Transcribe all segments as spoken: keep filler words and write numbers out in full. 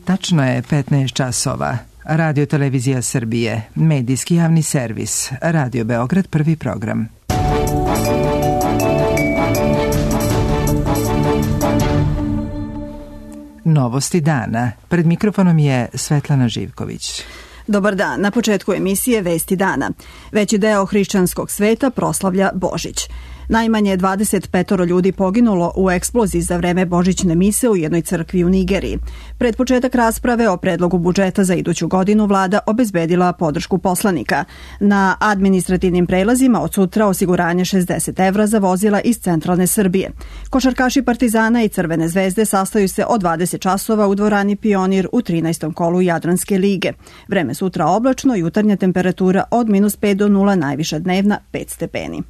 Tačno je petnaest časova. Radio Televizija Srbije, medijski javni servis, Radio Beograd, prvi program. Novosti dana. Pred mikrofonom je Svetlana Živković. Dobar dan. Na početku emisije Vesti dana. Veći deo hrišćanskog sveta proslavlja Božić. Najmanje dvadeset pet ljudi poginulo u eksploziji za vreme božićne mise u jednoj crkvi u Nigeriji. Pred početak rasprave o predlogu budžeta za iduću godinu vlada obezbedila podršku poslanika. Na administrativnim prelazima od sutra osiguranje šezdeset evra za vozila iz centralne Srbije. Košarkaši Partizana i Crvene zvezde sastaju se od dvadeset časova u dvorani Pionir u trinaestom kolu Jadranske lige. Vreme sutra oblačno, jutarnja temperatura od minus pet do nula, najviša dnevna pet stepeni.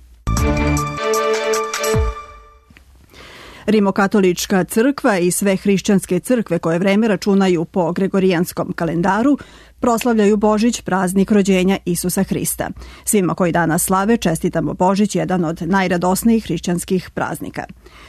Rimokatolička crkva i sve hrišćanske crkve koje vreme računaju po gregorijanskom kalendaru proslavljaju Božić, praznik rođenja Isusa Hrista. Svima koji danas slave čestitamo Božić, jedan od najradosnijih hrišćanskih praznika.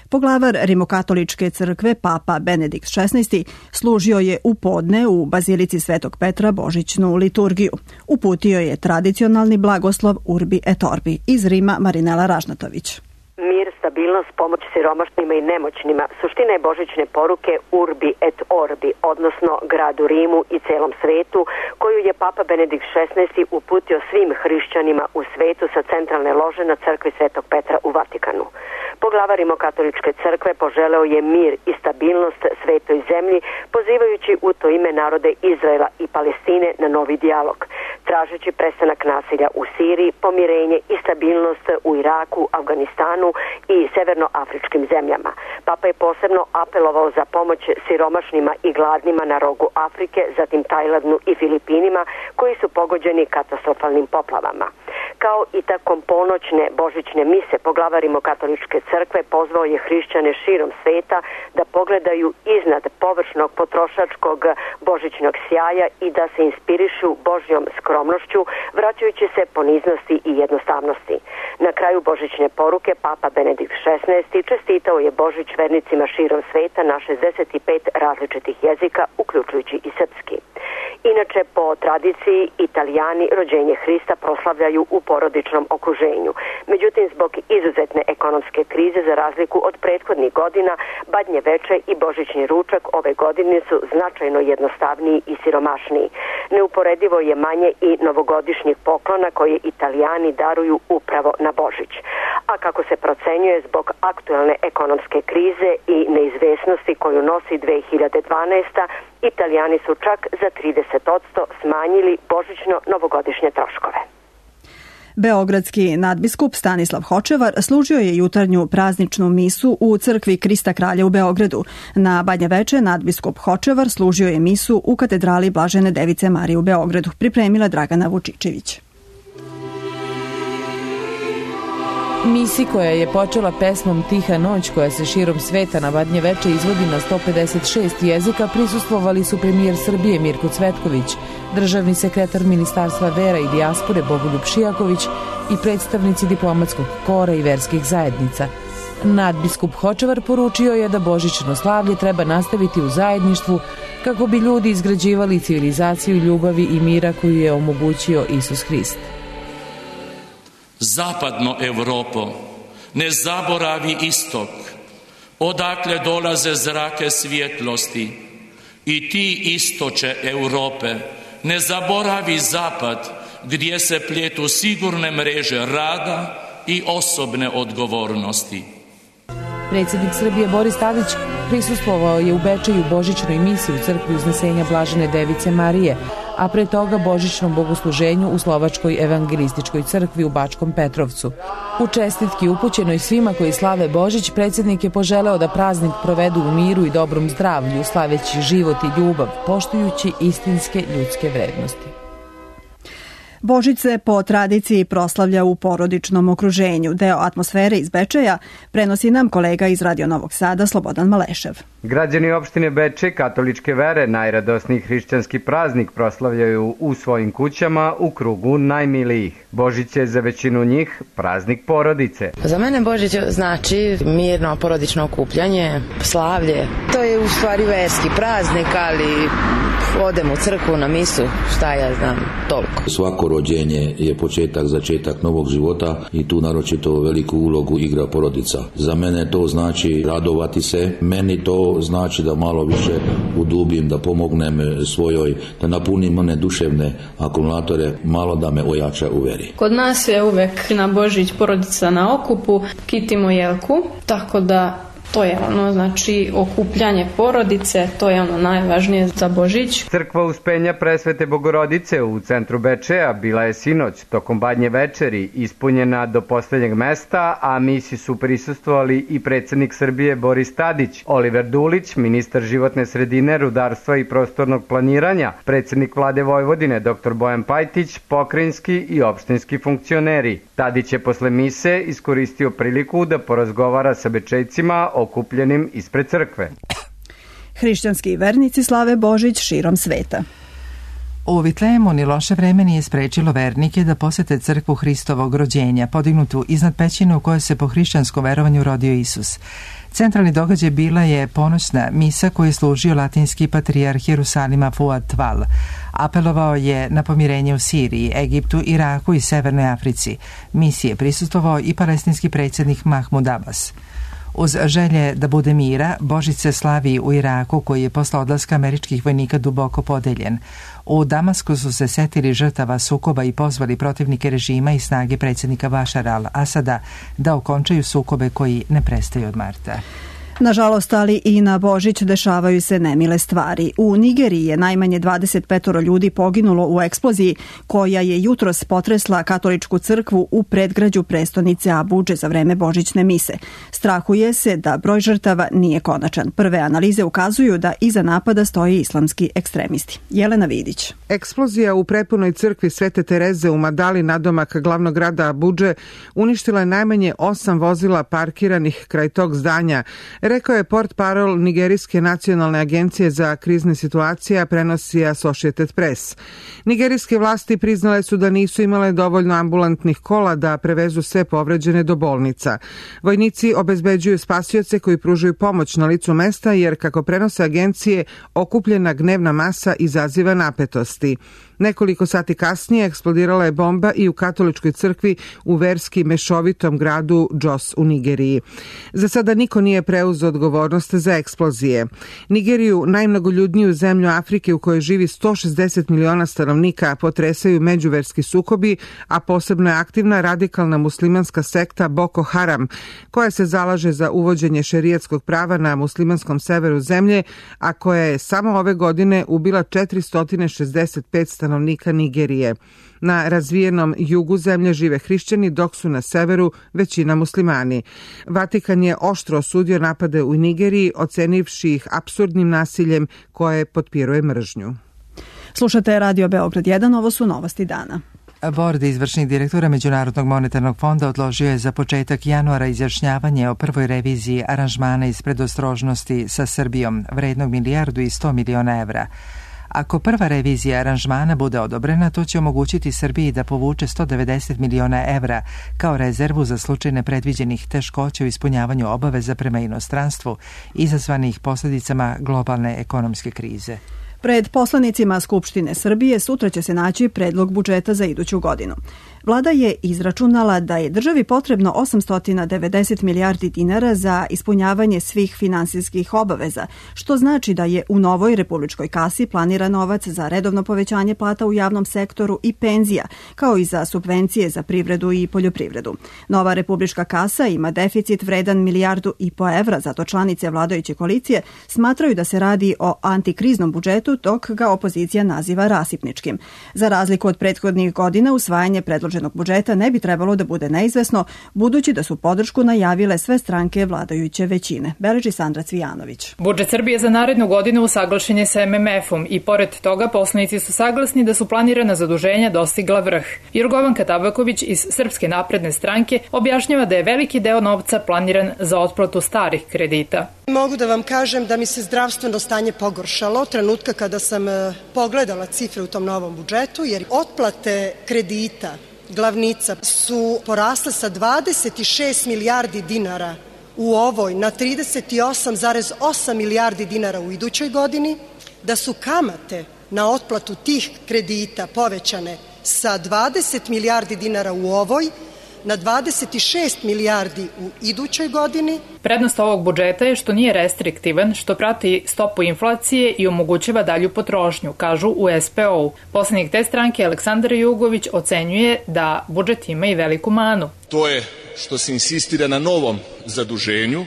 Poglavar Rimokatoličke crkve, papa Benedikt šesnaesti, služio je u podne u Bazilici Svetog Petra božićnu liturgiju. Uputio je tradicionalni blagoslov Urbi et Orbi. Iz Rima Marinela Ražnatović. Mir, stabilnost, pomoć siromašnima i nemoćnima, suština je božićne poruke Urbi et Orbi, odnosno gradu Rimu i celom svetu, koju je papa Benedikt šesnaesti uputio svim hrišćanima u svetu sa centralne lože na crkvi Svetog Petra u Vatikanu. Poglavar Rimokatoličke crkve poželeo je mir i stabilnost svetoj zemlji, pozivajući u to ime narode Izraela i Palestine na novi dijalog, tražeći prestanak nasilja u Siriji, pomirenje i stabilnost u Iraku, Afganistanu i severnoafričkim zemljama. Papa je posebno apelovao za pomoć siromašnima i gladnima na rogu Afrike, zatim Tajlandu i Filipinima, koji su pogođeni katastrofalnim poplavama. Kao i takom ponoćne božićne mise, poglavar Rimokatoličke crkve pozvao je hrišćane širom sveta da pogledaju iznad površnog potrošačkog božićnog sjaja i da se inspirišu Božjom skromnošću, vraćajući se poniznosti i jednostavnosti. Na kraju božićne poruke papa Benedikt šesnaesti čestitao je Božić vernicima širom sveta na šezdeset pet različitih jezika, uključujući i srpski. Inače, po tradiciji, Italijani rođenje Hrista proslavljaju u porodičnom okruženju. Međutim, zbog izuzetne ekonomske krize, za razliku od prethodnih godina, Badnje veče i božićni ručak ove godine su značajno jednostavniji i siromašniji. Neuporedivo je manje i novogodišnjih poklona koje Italijani daruju upravo na Božić. A kako se procenjuje, zbog aktuelne ekonomske krize i neizvesnosti koju nosi dve hiljade dvanaesta. Italijani su čak za trideset posto smanjili božićno-novogodišnje troškove. Beogradski nadbiskup Stanislav Hočevar služio je jutarnju prazničnu misu u crkvi Krista Kralja u Beogradu. Na Badnje veče nadbiskup Hočevar služio je misu u katedrali Blažene Device Marije u Beogradu. Pripremila Dragana Vučičević. Misi koja je počela pesmom Tiha noć, koja se širom sveta na Badnje veče izvodi na sto pedeset šest jezika, prisustvovali su premijer Srbije Mirko Cvetković, državni sekretar Ministarstva vera i dijaspore Bogoljub Šijaković i predstavnici diplomatskog kora i verskih zajednica. Nadbiskup Hočevar poručio je da božićno slavlje treba nastaviti u zajedništvu kako bi ljudi izgrađivali civilizaciju ljubavi i mira koju je omogućio Isus Hrist. Zapadno Evropo, ne zaboravi istok, odakle dolaze zrake svjetlosti, i ti istoče Europe, ne zaboravi zapad, gdje se pletu sigurne mreže rada i osobne odgovornosti. Predsjednik Srbije Boris Tadić prisustvovao je u Bečeju božićnoj misi u crkvi Uznesenja Blažene Device Marije, a pre toga božićnom bogosluženju u Slovačkoj evangelističkoj crkvi u Bačkom Petrovcu. U čestitki upućenoj svima koji slave Božić, predsjednik je poželeo da praznik provedu u miru i dobrom zdravlju, slaveći život i ljubav, poštujući istinske ljudske vrednosti. Božić se po tradiciji proslavlja u porodičnom okruženju. Deo atmosfere iz Bečeja prenosi nam kolega iz Radio Novog Sada Slobodan Malešev. Građani opštine Bečej katoličke vere najradosniji hrišćanski praznik proslavljaju u svojim kućama u krugu najmilijih. Božić je za većinu njih praznik porodice. Za mene Božić znači mirno porodično okupljanje, slavlje. To je u u stvari verski praznik, ali odem u crkvu na misu, šta ja znam, toliko. Svako rođenje je početak, začetak novog života i tu naročito veliku ulogu igra porodica. Za mene to znači radovati se, meni to znači da malo više udubim, da pomognem svojoj, da napunim one duševne akumulatore, malo da me ojača u veri. Kod nas je uvek na Božić porodica na okupu, kitimo jelku, tako da to je ono, znači, okupljanje porodice, to je ono najvažnije za Božić. Crkva Uspenja Presvete Bogorodice u centru Bečeja bila je sinoć tokom badnje večeri ispunjena do poslednjeg mesta, a misi su prisustvovali i predsednik Srbije Boris Tadić, Oliver Dulić, ministar životne sredine, rudarstva i prostornog planiranja, predsednik vlade Vojvodine dr Bojan Pajtić, pokrajinski i opštinski funkcioneri. Tadić je posle mise iskoristio priliku da porazgovara sa Bečejcima okupljenim ispred crkve. Hrišćanski vernici slave Božić širom sveta. U Vitlejemu ni loše vreme nije sprečilo vernike da posete crkvu Hristovog rođenja, podignutu iznad pećine u kojoj se po hrišćanskom verovanju rodio Isus. Centralni događaj bila je ponoćna misa koju je služio latinski patrijarh Jerusalima Fuad Tval. Apelovao je na pomirenje u Siriji, Egiptu, Iraku i Severnoj Africi. Misiji je prisustvovao i palestinski predsjednik Mahmud Abbas. Uz želje da bude mira, Božić se slavi u Iraku koji je posle odlaska američkih vojnika duboko podeljen. U Damasku su se setili žrtava sukoba i pozvali protivnike režima i snage predsjednika Bašara al-Asada da okončaju sukobe koji ne prestaju od marta. Nažalost, ali i na Božić dešavaju se nemile stvari. U Nigeriji je najmanje dvadeset pet ljudi poginulo u eksploziji koja je jutros potresla katoličku crkvu u predgrađu prestonice Abudže za vreme božićne mise. Strahuje se da broj žrtava nije konačan. Prve analize ukazuju da iza napada stoje islamski ekstremisti. Jelena Vidić. Eksplozija u prepunoj crkvi Svete Tereze u Madali nadomak glavnog grada Abudže uništila je najmanje osam vozila parkiranih kraj tog zdanja, rekao je portparol Nigerijske nacionalne agencije za krizne situacije, prenosi Associated Press. Nigerijske vlasti priznale su da nisu imale dovoljno ambulantnih kola da prevezu sve povređene do bolnica. Vojnici obezbeđuju spasioce koji pružaju pomoć na licu mesta jer, kako prenose agencije, okupljena gnevna masa izaziva napetosti. Nekoliko sati kasnije eksplodirala je bomba i u katoličkoj crkvi u verski mešovitom gradu Jos u Nigeriji. Za sada niko nije preuzeo odgovornost za eksplozije. Nigeriju, najmnogoljudniju zemlju Afrike u kojoj živi sto šezdeset miliona stanovnika, potresaju međuverski sukobi, a posebno je aktivna radikalna muslimanska sekta Boko Haram, koja se zalaže za uvođenje šerijatskog prava na muslimanskom severu zemlje, a koja je samo ove godine ubila četiristo šezdeset pet stanovnika Nigerije. Na razvijenom jugu zemlje žive hrišćani, dok su na severu većina muslimani. Vatikan je oštro osudio napade u Nigeriji, ocenivši ih apsurdnim nasiljem koje potpiruje mržnju. Slušate Radio Beograd jedan, ovo su novosti dana. Bord izvršnih direktora Međunarodnog monetarnog fonda odložio je za početak januara izjašnjavanje o prvoj reviziji aranžmana iz predostrožnosti sa Srbijom, vrednog milijardu i sto miliona evra. Ako prva revizija aranžmana bude odobrena, to će omogućiti Srbiji da povuče sto devedeset miliona evra kao rezervu za slučaj nepredviđenih teškoća u ispunjavanju obaveza prema inostranstvu izazvanih posljedicama globalne ekonomske krize. Pred poslanicima Skupštine Srbije sutra će se naći predlog budžeta za iduću godinu. Vlada je izračunala da je državi potrebno osamsto devedeset milijardi dinara za ispunjavanje svih finansijskih obaveza, što znači da je u novoj republičkoj kasi planiran novac za redovno povećanje plata u javnom sektoru i penzija, kao i za subvencije za privredu i poljoprivredu. Nova republička kasa ima deficit vredan milijardu i po evra, zato članice vladajuće koalicije smatraju da se radi o antikriznom budžetu, dok ga opozicija naziva rasipničkim. Za razliku od prethodnih godina, usvajanje predloženog budžeta ne bi trebalo da bude neizvesno, budući da su podršku najavile sve stranke vladajuće većine. Beleži Sandra Cvijanović. Budžet Srbije za narednu godinu usaglašen je sa em em efom i pored toga poslanici su saglasni da su planirana zaduženja dostigla vrh. Jorgovanka Tabaković iz Srpske napredne stranke objašnjava da je veliki deo novca planiran za otplatu starih kredita. Mogu da vam kažem da mi se zdravstveno stanje pogoršalo trenutka kada sam pogledala cifre u tom novom budžetu, jer otplate kredita, glavnica, su porasle sa dvadeset šest milijardi dinara u ovoj na trideset osam zarez osam milijardi dinara u idućoj godini, da su kamate na otplatu tih kredita povećane sa dvadeset milijardi dinara u ovoj na dvadeset šest milijardi u idućoj godini. Prednost ovog budžeta je što nije restriktivan, što prati stopu inflacije i omogućava dalju potrošnju, kažu u S P O-u. Poslanik te stranke Aleksandar Jugović ocenjuje da budžet ima i veliku manu. To je što se insistira na novom zaduženju.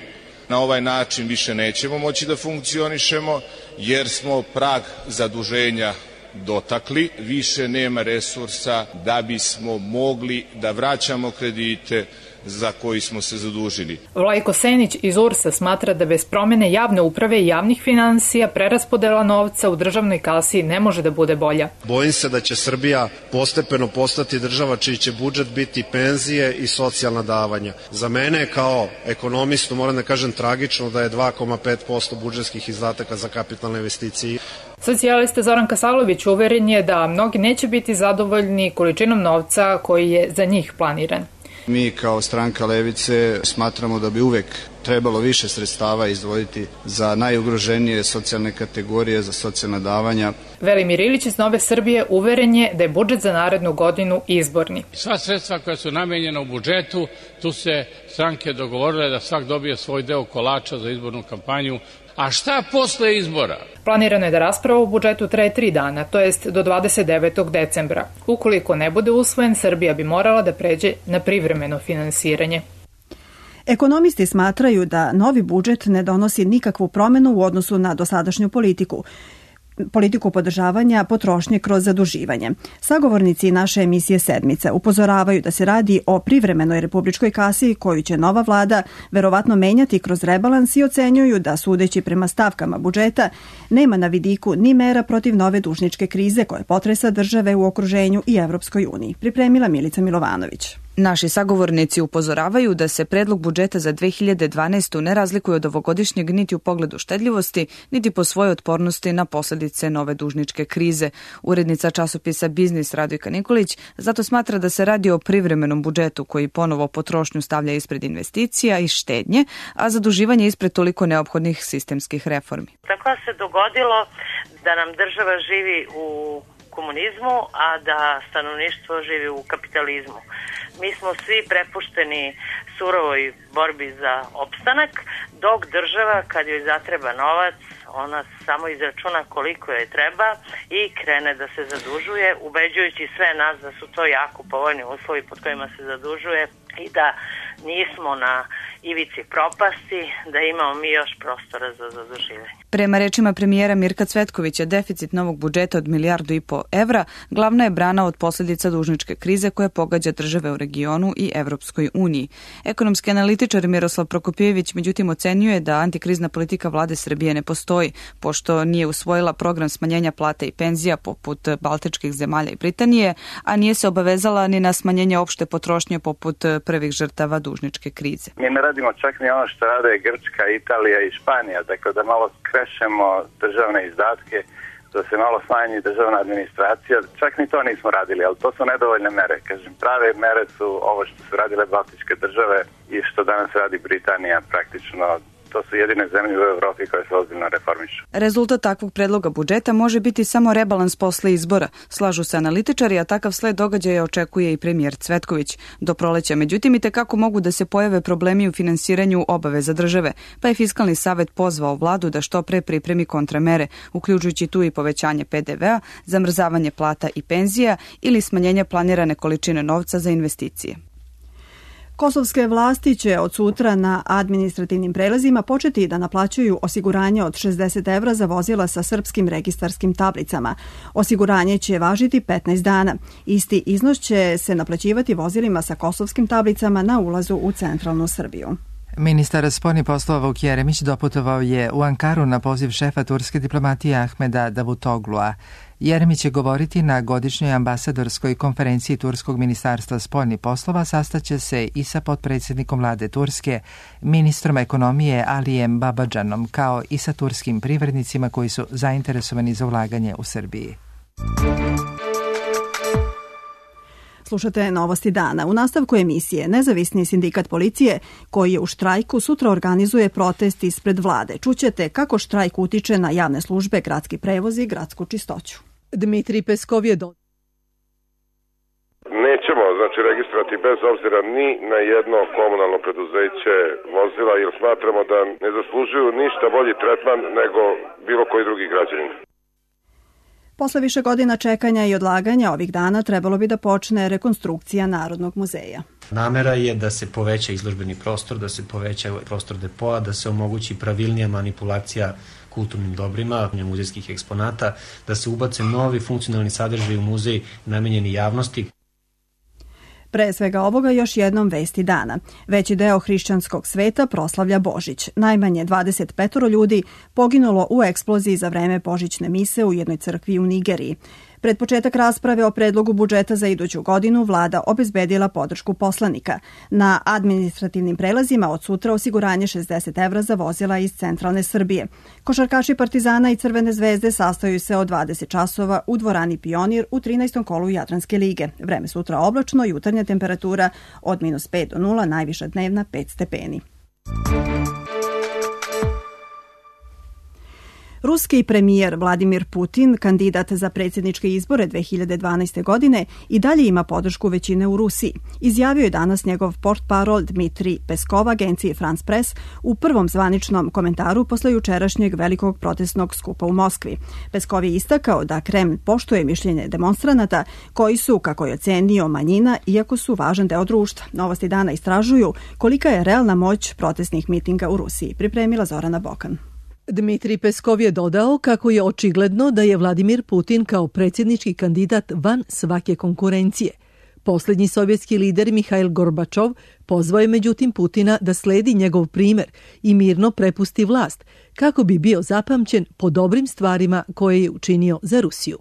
Na ovaj način više nećemo moći da funkcionišemo jer smo prag zaduženja dotakli, više nema resursa da bismo mogli da vraćamo kredite za koji smo se zadužili. Vlajko Senić iz U R S-a smatra da bez promene javne uprave i javnih finansija preraspodela novca u državnoj kasi ne može da bude bolja. Bojim se da će Srbija postepeno postati država čiji će budžet biti penzije i socijalna davanja. Za mene kao ekonomistu moram da kažem tragično da je dva zarez pet posto budžetskih izdataka za kapitalne investicije. Socijalista Zoran Kasalović uveren je da mnogi neće biti zadovoljni količinom novca koji je za njih planiran. Mi kao stranka Levice smatramo da bi uvek trebalo više sredstava izdvojiti za najugroženije socijalne kategorije, za socijalna davanja. Velimir Ilić iz Nove Srbije uveren je da je budžet za narednu godinu izborni. Sva sredstva koja su namenjena u budžetu, tu se stranke dogovorile da svak dobije svoj deo kolača za izbornu kampanju. A šta posle izbora? Planirano je da rasprava o budžetu traje tri dana, to jest do dvadeset devetog decembra. Ukoliko ne bude usvojen, Srbija bi morala da pređe na privremeno finansiranje. Ekonomisti smatraju da novi budžet ne donosi nikakvu promenu u odnosu na dosadašnju politiku. politiku podržavanja potrošnje kroz zaduživanje. Sagovornici naše emisije Sedmica upozoravaju da se radi o privremenoj republičkoj kasi koju će nova vlada verovatno menjati kroz rebalans i ocenjuju da, sudeći prema stavkama budžeta, nema na vidiku ni mera protiv nove dužničke krize koje potresa države u okruženju i Evropskoj uniji. Pripremila Milica Milovanović. Naši sagovornici upozoravaju da se predlog budžeta za dve hiljade dvanaestu. ne razlikuje od ovogodišnjeg niti u pogledu štedljivosti, niti po svojoj otpornosti na posledice nove dužničke krize. Urednica časopisa Biznis Radojka Nikolić zato smatra da se radi o privremenom budžetu koji ponovo potrošnju stavlja ispred investicija i štednje, a zaduživanje ispred toliko neophodnih sistemskih reformi. Tako se dogodilo da nam država živi u komunizmu, a da stanovništvo živi u kapitalizmu. Mi smo svi prepušteni surovoj borbi za opstanak, dok država, kad joj zatreba novac, ona samo izračuna koliko joj treba i krene da se zadužuje, ubeđujući sve nas da su to jako povoljni uslovi pod kojima se zadužuje i da nismo na ivici propasti, da imamo mi još prostora za zaduživanje. Prema rečima premijera Mirka Cvetkovića, deficit novog budžeta od milijardu i po evra glavna je brana od posljedica dužničke krize koja pogađa države u regionu i Evropskoj uniji. Ekonomski analitičar Miroslav Prokopjević međutim ocenjuje da antikrizna politika vlade Srbije ne postoji, pošto nije usvojila program smanjenja plata i penzija poput baltičkih zemalja i Britanije, a nije se obavezala ni na smanjenje opšte potrošnje poput prvih žrtava dužničke krize. Mi ne radimo čak ni ono što rade Grčka, Italija i Španija, tako da malo krešemo državne izdatke, da se malo smanji državna administracija. Čak ni to nismo radili, ali to su nedovoljne mere. Kažem, prave mere su ovo što su radile baltičke države i što danas radi Britanija praktično. To su jedine zemlje u Evropi koje se ozbiljno reformišu. Rezultat takvog predloga budžeta može biti samo rebalans posle izbora, slažu se analitičari, a takav sled događaja očekuje i premijer Cvetković. Do proleća, međutim, i tekako mogu da se pojave problemi u finansiranju obaveza države, pa je Fiskalni savet pozvao vladu da što pre pripremi kontramere, uključujući tu i povećanje P D V-a, zamrzavanje plata i penzija ili smanjenje planirane količine novca za investicije. Kosovske vlasti će od sutra na administrativnim prelazima početi da naplaćuju osiguranje od šezdeset evra za vozila sa srpskim registarskim tablicama. Osiguranje će važiti petnaest dana. Isti iznos će se naplaćivati vozilima sa kosovskim tablicama na ulazu u centralnu Srbiju. Ministar spoljnih poslova Vuk Jeremić doputovao je u Ankaru na poziv šefa turske diplomatije Ahmeda Davutoglua. Jeremić će govoriti na godišnjoj ambasadorskoj konferenciji Turskog ministarstva spoljnih poslova, sastaće se i sa potpredsjednikom vlade Turske, ministrom ekonomije Alijem Babadžanom, kao i sa turskim privrednicima koji su zainteresovani za ulaganje u Srbiji. Slušate Novosti dana. U nastavku emisije Nezavisni sindikat policije, koji je u štrajku, sutra organizuje protest ispred vlade. Čućete kako štrajk utiče na javne službe, gradski prevoz i gradsku čistoću. Dmitrij Peskov je do... Nećemo, znači, registrovati bez obzira ni na jedno komunalno preduzeće vozila, jer smatramo da ne zaslužuju ništa bolji tretman nego bilo koji drugi građanin. Posle više godina čekanja i odlaganja ovih dana trebalo bi da počne rekonstrukcija Narodnog muzeja. Namera je da se poveća izložbeni prostor, da se poveća prostor depoa, da se omogući pravilnija manipulacija kulturnim dobrima, muzejskih eksponata, da se ubace novi funkcionalni sadržaj u muzej namenjeni javnosti. Pre svega ovoga još jednom vesti dana. Veći deo hrišćanskog sveta proslavlja Božić. Najmanje dvadeset pet ljudi poginulo u eksploziji za vreme božićne mise u jednoj crkvi u Nigeriji. Pred početak rasprave o predlogu budžeta za iduću godinu vlada obezbedila podršku poslanika. Na administrativnim prelazima od sutra osiguranje šezdeset evra za vozila iz centralne Srbije. Košarkaši Partizana i Crvene zvezde sastaju se od dvadeset časova u dvorani Pionir u trinaestom kolu Jadranske lige. Vreme sutra oblačno, jutarnja temperatura od minus pet do nula, najviša dnevna pet stepeni. Ruski premijer Vladimir Putin, kandidat za predsjedničke izbore dve hiljade dvanaeste. godine, i dalje ima podršku većine u Rusiji. Izjavio je danas njegov portparol Dmitrij Peskov agenciji France Press u prvom zvaničnom komentaru posle jučerašnjeg velikog protestnog skupa u Moskvi. Peskov je istakao da Kremlj poštuje mišljenje demonstranata koji su, kako je ocenio, manjina, iako su važan deo društva. Novosti dana istražuju kolika je realna moć protestnih mitinga u Rusiji. Pripremila Zorana Bokan. Dmitrij Peskov je dodao kako je očigledno da je Vladimir Putin kao predsjednički kandidat van svake konkurencije. Posljednji sovjetski lider Mihail Gorbačov pozvao je međutim Putina da sledi njegov primjer i mirno prepusti vlast kako bi bio zapamćen po dobrim stvarima koje je učinio za Rusiju.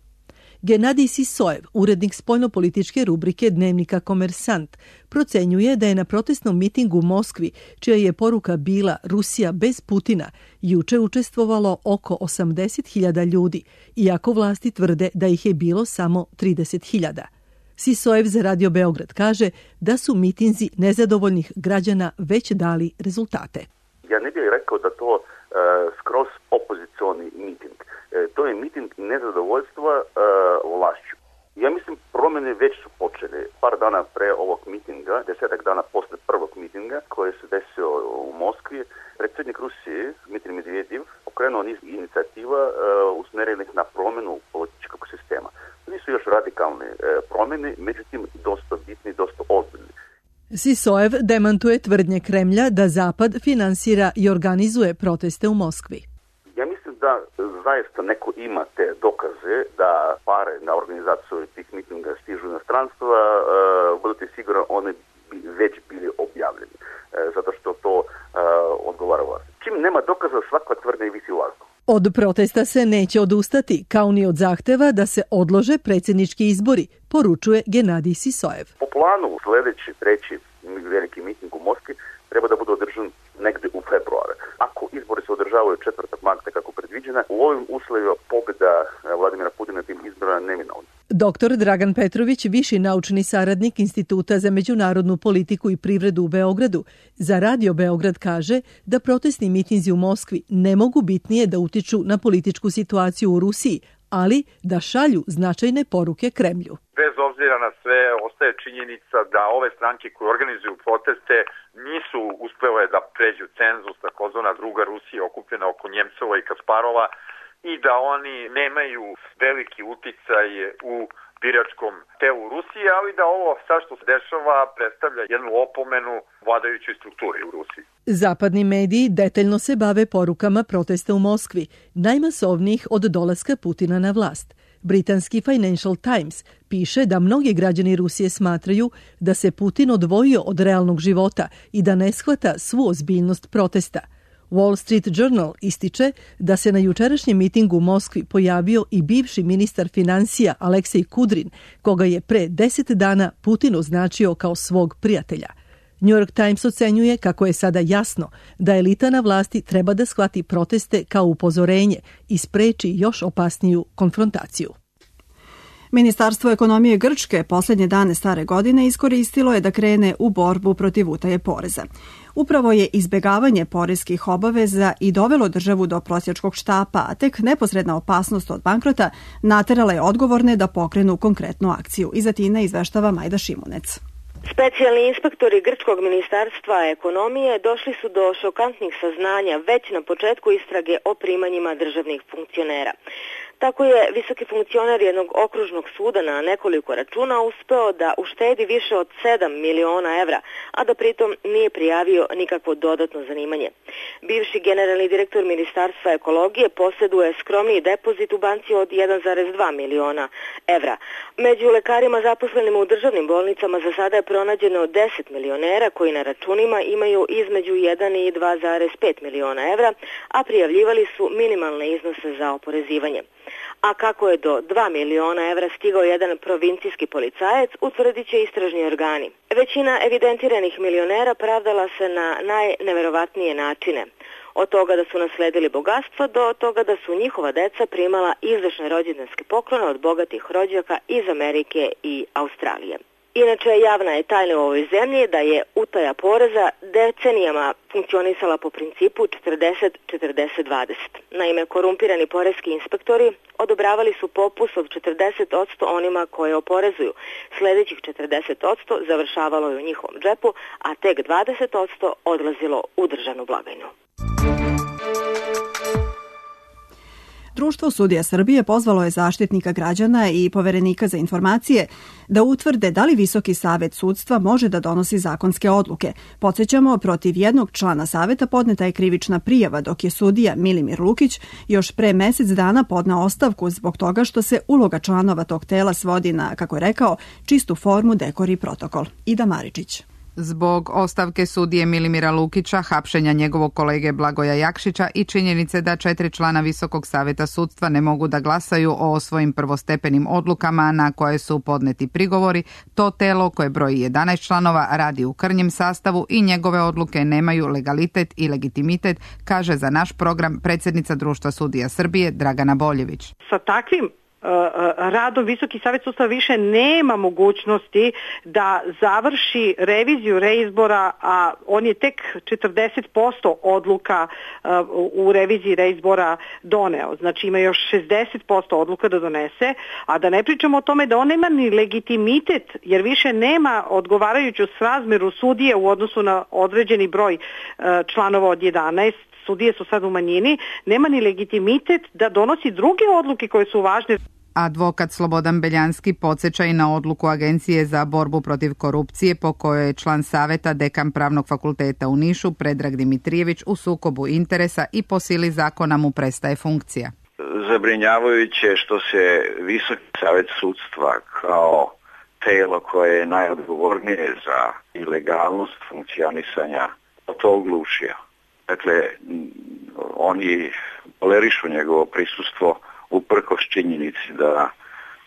Genadij Sisojev, urednik spoljnopolitičke rubrike dnevnika Komersant, procenjuje da je na protestnom mitingu u Moskvi, čija je poruka bila Rusija bez Putina, juče učestvovalo oko osamdeset hiljada ljudi, iako vlasti tvrde da ih je bilo samo trideset hiljada. Sisojev za Radio Beograd kaže da su mitinzi nezadovoljnih građana već dali rezultate. Ja ne bih rekao da to uh, skroz opozicioni miting. To je miting nezadovoljstva uh, vlašću. Ja mislim promjene već su počele. Par dana pre ovog mitinga, desetak dana posle prvog mitinga koji se desio u Moskvi, predsjednik Rusije Dmitrij Medvedev pokrenuo niz inicijativa uh, usmjerenih na promjenu političkog sistema. To nisu još radikalne uh, promjene, međutim dosta bitni, dosta ozbiljni. Sisojev demantuje tvrdnje Kremlja da Zapad finansira i organizuje proteste u Moskvi. Ja mislim da zaista neko ima te dokaze da pare na organizaciju tih mitinga stižu inostranstva, uh, budete sigurno one bi već bili objavljeni, uh, zato što to uh, odgovara vlasti. Čim nema dokaza, svaka tvrdnja visi u vazduhu. Od protesta se neće odustati, kao ni od zahteva da se odlože predsjednički izbori, poručuje Genadij Sisojev. Po planu sljedeći, treći veliki miting u Moskvi treba da bude održan negdje u februaru. Ako izbori se održavaju četvrtog marta kako predviđena, u ovim uslovima pobjeda Vladimira Putina tim izborima neminovna. Doktor Dragan Petrović, viši naučni saradnik Instituta za međunarodnu politiku i privredu u Beogradu, za Radio Beograd kaže da protestni mitinzi u Moskvi ne mogu bitnije da utiču na političku situaciju u Rusiji, ali da šalju značajne poruke Kremlju. Bez obzira na sve, ostaje činjenica da ove stranke koje organizuju proteste nisu uspele da pređu cenzus, takozvana druga Rusija okupljena oko Njemcova i Kasparova, i da oni nemaju veliki uticaj u biračkom telu Rusije, ali da ovo sad što se dešava predstavlja jednu opomenu vladajućoj strukturi u Rusiji. Zapadni mediji detaljno se bave porukama protesta u Moskvi, najmasovnijih od dolaska Putina na vlast. Britanski Financial Times piše da mnogi građani Rusije smatraju da se Putin odvojio od realnog života i da ne shvata svu ozbiljnost protesta. Wall Street Journal ističe da se na jučerašnjem mitingu u Moskvi pojavio i bivši ministar financija Aleksej Kudrin, koga je pre deset dana Putin označio kao svog prijatelja. New York Times ocenjuje kako je sada jasno da elita na vlasti treba da shvati proteste kao upozorenje i spreči još opasniju konfrontaciju. Ministarstvo ekonomije Grčke posljednje dane stare godine iskoristilo je da krene u borbu protiv utaje poreza. Upravo je izbegavanje poreskih obaveza i dovelo državu do prosjačkog štapa, a tek neposredna opasnost od bankrota naterala je odgovorne da pokrenu konkretnu akciju. Iz Atine izveštava Majda Šimunec. Specijalni inspektori Grčkog ministarstva ekonomije došli su do šokantnih saznanja već na početku istrage o primanjima državnih funkcionera. Tako je visoki funkcioner jednog okružnog suda na nekoliko računa uspeo da uštedi više od sedam miliona evra, a da pritom nije prijavio nikakvo dodatno zanimanje. Bivši generalni direktor Ministarstva ekologije posjeduje skromniji depozit u banci od jedan zarez dva miliona evra. Među lekarima zaposlenim u državnim bolnicama za sada je pronađeno deset milionera koji na računima imaju između jedan i dva zarez pet miliona evra, a prijavljivali su minimalne iznose za oporezivanje. A kako je do dva miliona evra stigao jedan provincijski policajac, utvrdit će istražni organi. Većina evidentiranih milionera pravdala se na najneverovatnije načine. Od toga da su nasledili bogatstvo do toga da su njihova deca primala izdašne rođendanske poklone od bogatih rođaka iz Amerike i Australije. Inače, javna je tajna u ovoj zemlji da je utaja poreza decenijama funkcionisala po principu četrdeset četrdeset dvadeset. Naime, korumpirani poreski inspektori odobravali su popust od četrdeset posto onima koje oporezuju. Sljedećih četrdeset posto završavalo je u njihovom džepu, a tek dvadeset posto odlazilo u državnu blagajnu. Društvo sudija Srbije pozvalo je Zaštitnika građana i Poverenika za informacije da utvrde da li Visoki savet sudstva može da donosi zakonske odluke. Podsjećamo, protiv jednog člana saveta podneta je krivična prijava, dok je sudija Milimir Lukić još pre mesec dana podneo ostavku zbog toga što se uloga članova tog tela svodi na, kako je rekao, čistu formu, dekor i protokol. Ida Maričić. Zbog ostavke sudije Milimira Lukića, hapšenja njegovog kolege Blagoja Jakšića i činjenice da četiri člana Visokog saveta sudstva ne mogu da glasaju o svojim prvostepenim odlukama na koje su podneti prigovori, to telo koje broji jedanaest članova radi u krnjem sastavu i njegove odluke nemaju legalitet i legitimitet, kaže za naš program predsjednica Društva sudija Srbije Dragana Boljević. Sa takvim radom Visoki savet sudstva više nema mogućnosti da završi reviziju reizbora, a on je tek četrdeset posto odluka u reviziji reizbora doneo. Znači ima još šezdeset posto odluka da donese, a da ne pričamo o tome da on nema ni legitimitet, jer više nema odgovarajuću srazmeru sudije u odnosu na određeni broj članova od jedanaest. Sudije su sad u manjini, nema ni legitimitet da donosi druge odluke koje su važne. Advokat Slobodan Beljanski podsjeća i na odluku Agencije za borbu protiv korupcije po kojoj je član saveta dekan Pravnog fakulteta u Nišu Predrag Dimitrijević u sukobu interesa i po sili zakona mu prestaje funkcija. Zabrinjavajuće što se Visoki savet sudstva kao telo koje je najodgovornije za ilegalnost funkcionisanja to oglušio. Dakle, oni tolerišu njegovo prisustvo uprkos činjenici da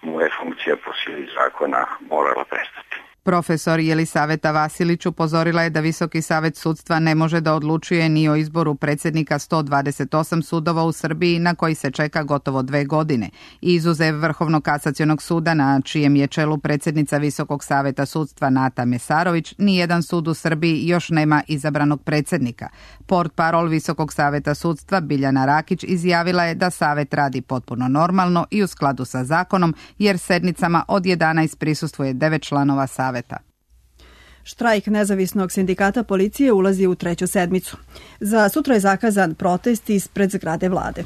mu je funkcija po sili zakona morala prestati. Profesor Jelisaveta Vasilić upozorila je da Visoki savet sudstva ne može da odlučuje ni o izboru predsjednika sto dvadeset osam sudova u Srbiji na koji se čeka gotovo dve godine. Izuzev Vrhovnog kasacionog suda na čijem je čelu predsjednica Visokog saveta sudstva Nata Mesarović, nijedan sud u Srbiji još nema izabranog predsjednika. Portparol Visokog saveta sudstva Biljana Rakić izjavila je da savet radi potpuno normalno i u skladu sa zakonom, jer sednicama od jedanaest prisustvuje devet članova saveta. Štrajk nezavisnog sindikata policije ulazi u treću sedmicu. Za sutra je zakazan protest ispred zgrade vlade.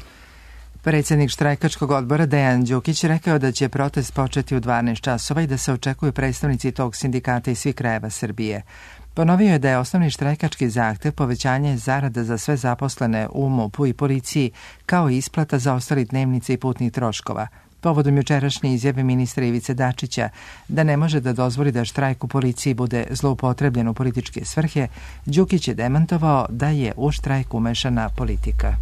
Predsjednik štrajkačkog odbora Dejan Đukić rekao da će protest početi u dvanaest časova i da se očekuju predstavnici tog sindikata iz svih krajeva Srbije. Ponovio je da je osnovni štrajkački zahtev povećanje zarada za sve zaposlene u MUP-u i policiji, kao i isplata za ostali dnevnice i putnih troškova. Povodom jučerašnje izjave ministra Ivice Dačića da ne može da dozvoli da štrajk u policiji bude zloupotrebljen u političke svrhe, Đukić je demantovao da je u štrajk umešana politika.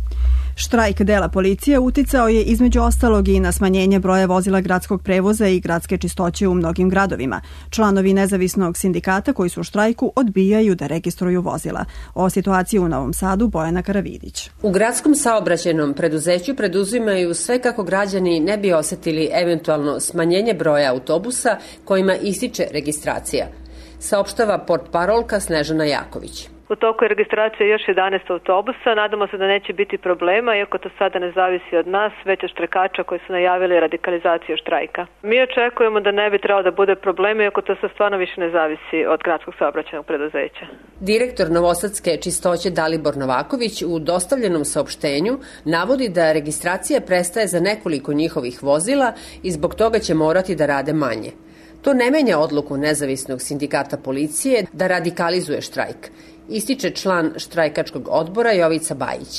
Štrajk dela policije uticao je između ostalog i na smanjenje broja vozila gradskog prevoza i gradske čistoće u mnogim gradovima. Članovi nezavisnog sindikata koji su u štrajku odbijaju da registruju vozila. O situaciji u Novom Sadu Bojana Karavidić. U gradskom saobraćajnom preduzeću preduzimaju sve kako građani ne bi osetili eventualno smanjenje broja autobusa kojima ističe registracija, saopštava portparolka Snežana Jaković. U toku je registracija još jedanaest autobusa, nadamo se da neće biti problema, iako to sada ne zavisi od nas, već od štrajkača koji su najavili radikalizaciju štrajka. Mi očekujemo da ne bi trebalo da bude problema, iako to se stvarno više ne zavisi od gradskog saobraćajnog preduzeća. Direktor Novosadske čistoće Dalibor Novaković u dostavljenom saopštenju navodi da registracija prestaje za nekoliko njihovih vozila i zbog toga će morati da rade manje. To ne menja odluku nezavisnog sindikata policije da radikalizuje štrajk, ističe član štrajkačkog odbora Jovica Bajić.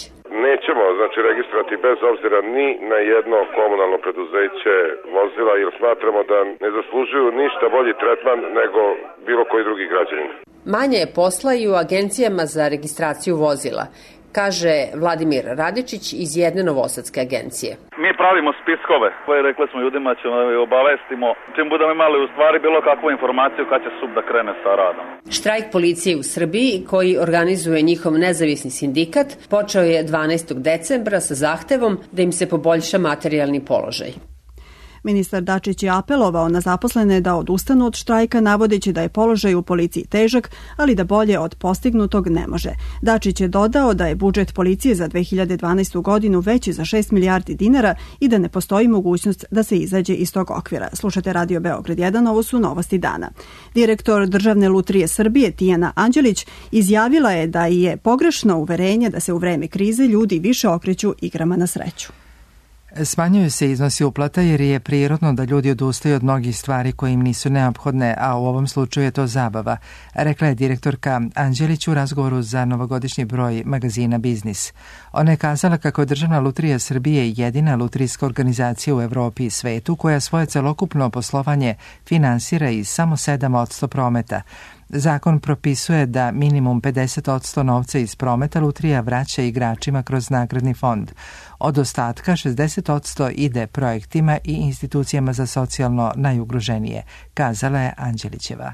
Nećemo znači registrovati bez obzira ni na jedno komunalno preduzeće vozila, jer smatramo da ne zaslužuju ništa bolji tretman nego bilo koji drugi građanin. Manje je posla i u agencijama za registraciju vozila, kaže Vladimir Radičić iz jedne novosadske agencije. Mi pravimo spiskove, rekli smo ljudima ćemo obavestimo, čim budemo imali u stvari bilo kakvu informaciju kad će S U P da krene sa radom. Štrajk policije u Srbiji, koji organizuje njihov nezavisni sindikat, počeo je dvanaestog decembra sa zahtevom da im se poboljša materijalni položaj. Ministar Dačić je apelovao na zaposlene da odustanu od štrajka, navodeći da je položaj u policiji težak, ali da bolje od postignutog ne može. Dačić je dodao da je budžet policije za dve hiljade dvanaestu godinu veći za šest milijardi dinara i da ne postoji mogućnost da se izađe iz tog okvira. Slušate Radio Beograd jedan, ovo su novosti dana. Direktor Državne lutrije Srbije Tijana Anđelić izjavila je da je pogrešno uverenje da se u vreme krize ljudi više okreću igrama na sreću. Smanjuju se iznosi uplata jer je prirodno da ljudi odustaju od mnogih stvari koje im nisu neophodne, a u ovom slučaju je to zabava, rekla je direktorka Anđelić u razgovoru za novogodišnji broj magazina Biznis. Ona je kazala kako je Državna lutrija Srbije jedina lutrijska organizacija u Evropi i svetu koja svoje celokupno poslovanje finansira iz samo sedam posto prometa. Zakon propisuje da minimum pedeset posto novca iz prometa lutrija vraća igračima kroz nagradni fond. Od ostatka šezdeset posto ide projektima i institucijama za socijalno najugroženije, kazala je Anđelićeva.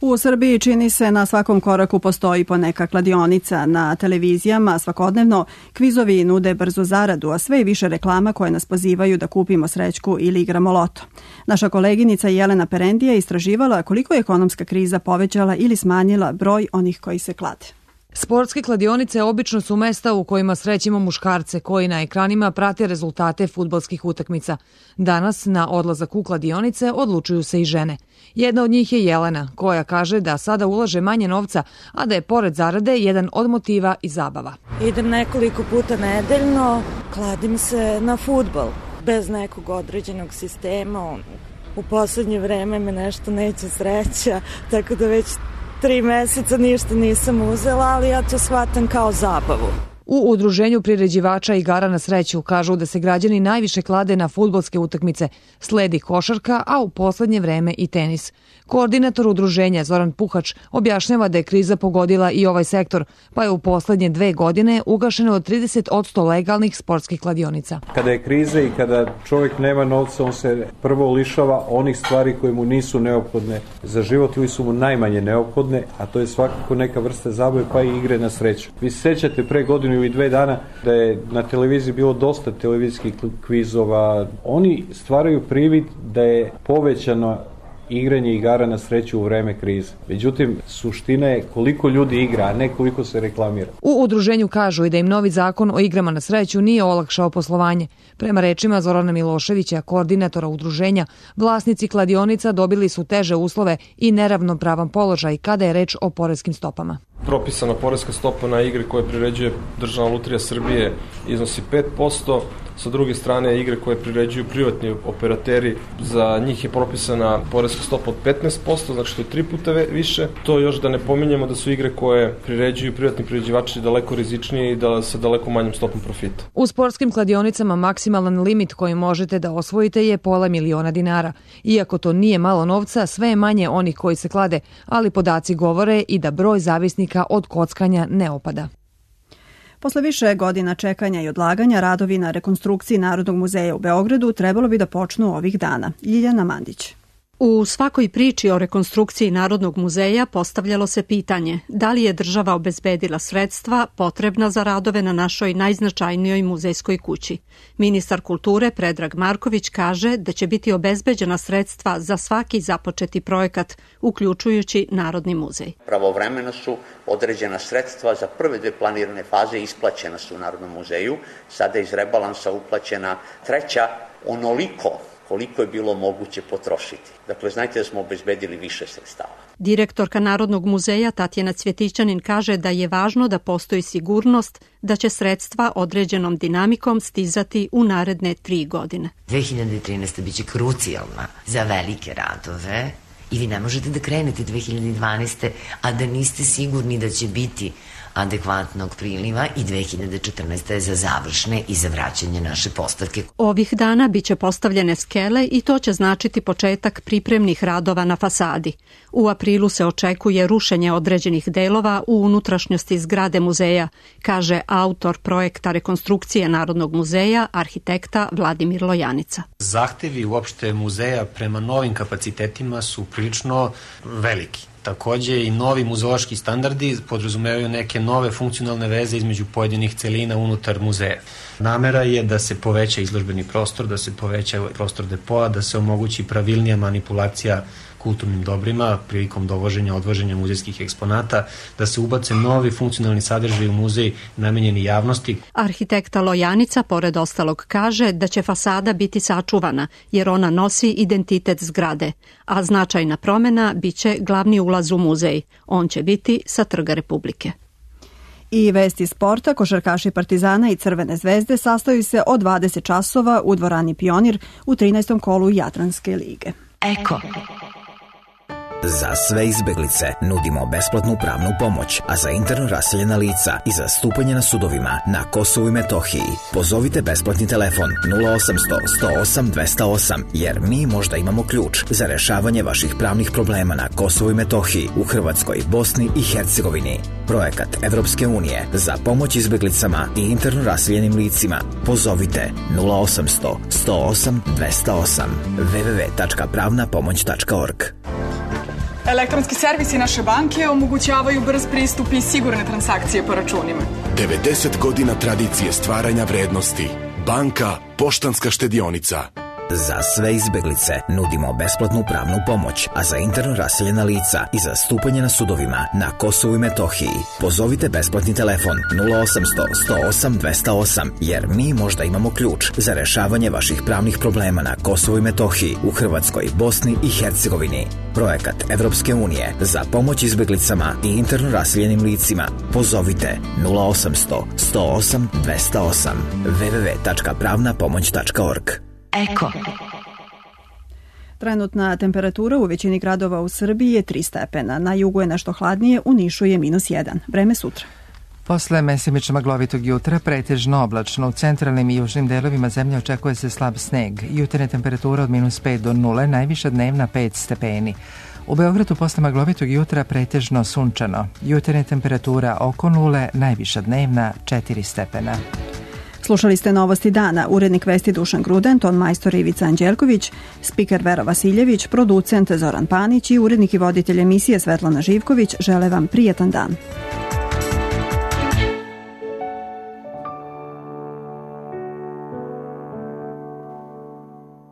U Srbiji čini se na svakom koraku postoji poneka kladionica. Na televizijama svakodnevno kvizovi nude brzu zaradu, a sve je više reklama koje nas pozivaju da kupimo srećku ili igramo loto. Naša koleginica Jelena Perendija istraživala koliko je ekonomska kriza povećala ili smanjila broj onih koji se klade. Sportske kladionice obično su mesta u kojima srećemo muškarce koji na ekranima prate rezultate fudbalskih utakmica. Danas na odlazak u kladionice odlučuju se i žene. Jedna od njih je Jelena, koja kaže da sada ulaže manje novca, a da je pored zarade jedan od motiva i zabava. Idem nekoliko puta nedeljno, kladim se na fudbal, bez nekog određenog sistema. U poslednje vreme me nešto neće sreća, tako da već tri meseca ništa nisam uzela, ali ja to shvatam kao zabavu. U udruženju priređivača igara na sreću kažu da se građani najviše klade na fudbalske utakmice, sledi košarka, a u poslednje vreme i tenis. Koordinator udruženja Zoran Puhač objašnjava da je kriza pogodila i ovaj sektor, pa je u poslednje dve godine ugašeno od trideset posto legalnih sportskih kladionica. Kada je kriza i kada čovjek nema novca, on se prvo lišava onih stvari koje mu nisu neophodne za život ili su mu najmanje neophodne, a to je svakako neka vrsta zabave pa i igre na sreću. Vi se sećate pre godinu ili dve dana da je na televiziji bilo dosta televizijskih kvizova. Oni stvaraju privid da je povećano igranje igara na sreću u vreme krize. Međutim, suština je koliko ljudi igra, a ne koliko se reklamira. U udruženju kažu i da im novi zakon o igrama na sreću nije olakšao poslovanje. Prema rečima Zorana Miloševića, koordinatora udruženja, vlasnici kladionica dobili su teže uslove i neravnopravan položaj kada je reč o poreskim stopama. Propisana poreska stopa na igre koje priređuje Državna lutrija Srbije iznosi pet posto, sa druge strane igre koje priređuju privatni operateri, za njih je propisana poreska stopa od petnaest posto, znači to je tri puta više. To još da ne pominjemo da su igre koje priređuju privatni priređivači daleko rizičnije i da sa daleko manjim stopom profita. U sportskim kladionicama maksimalan limit koji možete da osvojite je pola miliona dinara. Iako to nije malo novca, sve je manje onih koji se klade, ali podaci govore i da broj zavisnika od kockanja ne opada. Posle više godina čekanja i odlaganja, radovi na rekonstrukciji Narodnog muzeja u Beogradu trebalo bi da počnu ovih dana. Ljiljana Mandić. U svakoj priči o rekonstrukciji Narodnog muzeja postavljalo se pitanje da li je država obezbedila sredstva potrebna za radove na našoj najznačajnijoj muzejskoj kući. Ministar kulture Predrag Marković kaže da će biti obezbeđena sredstva za svaki započeti projekat, uključujući Narodni muzej. Pravovremeno su određena sredstva za prve dve planirane faze isplaćena su u Narodnom muzeju, sada je iz rebalansa uplaćena treća onoliko koliko je bilo moguće potrošiti. Dakle, znajte da smo obezbedili više sredstava. Direktorka Narodnog muzeja Tatjana Cvjetićanin kaže da je važno da postoji sigurnost da će sredstva određenom dinamikom stizati u naredne tri godine. dve hiljade trinaesta biće krucijalna za velike radove i vi ne možete da krenete dve hiljade dvanaeste. a da niste sigurni da će biti adekvatnog priliva i dve hiljade četrnaeste. je za završne i za vraćanje naše postavke. Ovih dana biće postavljene skele i to će značiti početak pripremnih radova na fasadi. U aprilu se očekuje rušenje određenih delova u unutrašnjosti zgrade muzeja, kaže autor projekta rekonstrukcije Narodnog muzeja, arhitekta Vladimir Lojanica. Zahtevi uopšte muzeja prema novim kapacitetima su prilično veliki. Takođe i novi muzeološki standardi podrazumevaju neke nove funkcionalne veze između pojedinih celina unutar muzeja. Namera je da se poveća izložbeni prostor, da se poveća prostor depoa, da se omogući pravilnija manipulacija kulturnim dobrima prilikom dovoženja, odvoženja muzejskih eksponata, da se ubace novi funkcionalni sadržaj u muzej namenjeni javnosti. Arhitekta Lojanica, pored ostalog, kaže da će fasada biti sačuvana, jer ona nosi identitet zgrade, a značajna promena biće glavni ulaz u muzej. On će biti sa Trga Republike. I vesti sporta, košarkaši Partizana i Crvene zvezde sastaju se od dvadeset časova u dvorani Pionir u trinaestom kolu Jadranske lige. Eko. Za sve izbeglice nudimo besplatnu pravnu pomoć, a za interno raseljena lica i za stupanje na sudovima na Kosovu i Metohiji pozovite besplatni telefon nula osamsto sto osam dvesta osam, jer mi možda imamo ključ za rešavanje vaših pravnih problema na Kosovu i Metohiji, u Hrvatskoj, Bosni i Hercegovini. Projekat Evropske unije za pomoć izbeglicama i interno raseljenim licima. Pozovite nula osamsto sto osam dvesta osam w w w tačka pravna pomoć tačka org. Elektronski servisi naše banke omogućavaju brz pristup i sigurne transakcije po računima. devedeset godina tradicije stvaranja vrednosti. Banka Poštanska štedionica. Za sve izbeglice nudimo besplatnu pravnu pomoć, a za interno raseljena lica i za stupanje na sudovima na Kosovu i Metohiji pozovite besplatni telefon nula osamsto sto osam dvesta osam, jer mi možda imamo ključ za rešavanje vaših pravnih problema na Kosovu i Metohiji, u Hrvatskoj, Bosni i Hercegovini. Projekat Evropske unije za pomoć izbeglicama i interno raseljenim licima. Pozovite nula osamsto sto osam dvesta osam w w w tačka pravna pomoć tačka org. Eko. Trenutna temperatura u većini gradova u Srbiji je tri stepena. Na jugu je nešto hladnije, u Nišu je minus jedan. Vreme sutra. Posle mesimično maglovitog jutra, pretežno oblačno, u centralnim i južnim delovima zemlje očekuje se slab sneg. Jutarnja temperatura od minus pet do nule, najviša dnevna pet stepeni. U Beogradu posle maglovitog jutra pretežno sunčano. Jutarnja temperatura oko nule, najviša dnevna četiri stepena. Slušali ste Novosti dana, urednik vesti Dušan Gruden, ton majstor Ivica Anđelković, spiker Vera Vasiljević, producent Zoran Panić i urednik i voditelj emisije Svetlana Živković žele vam prijetan dan.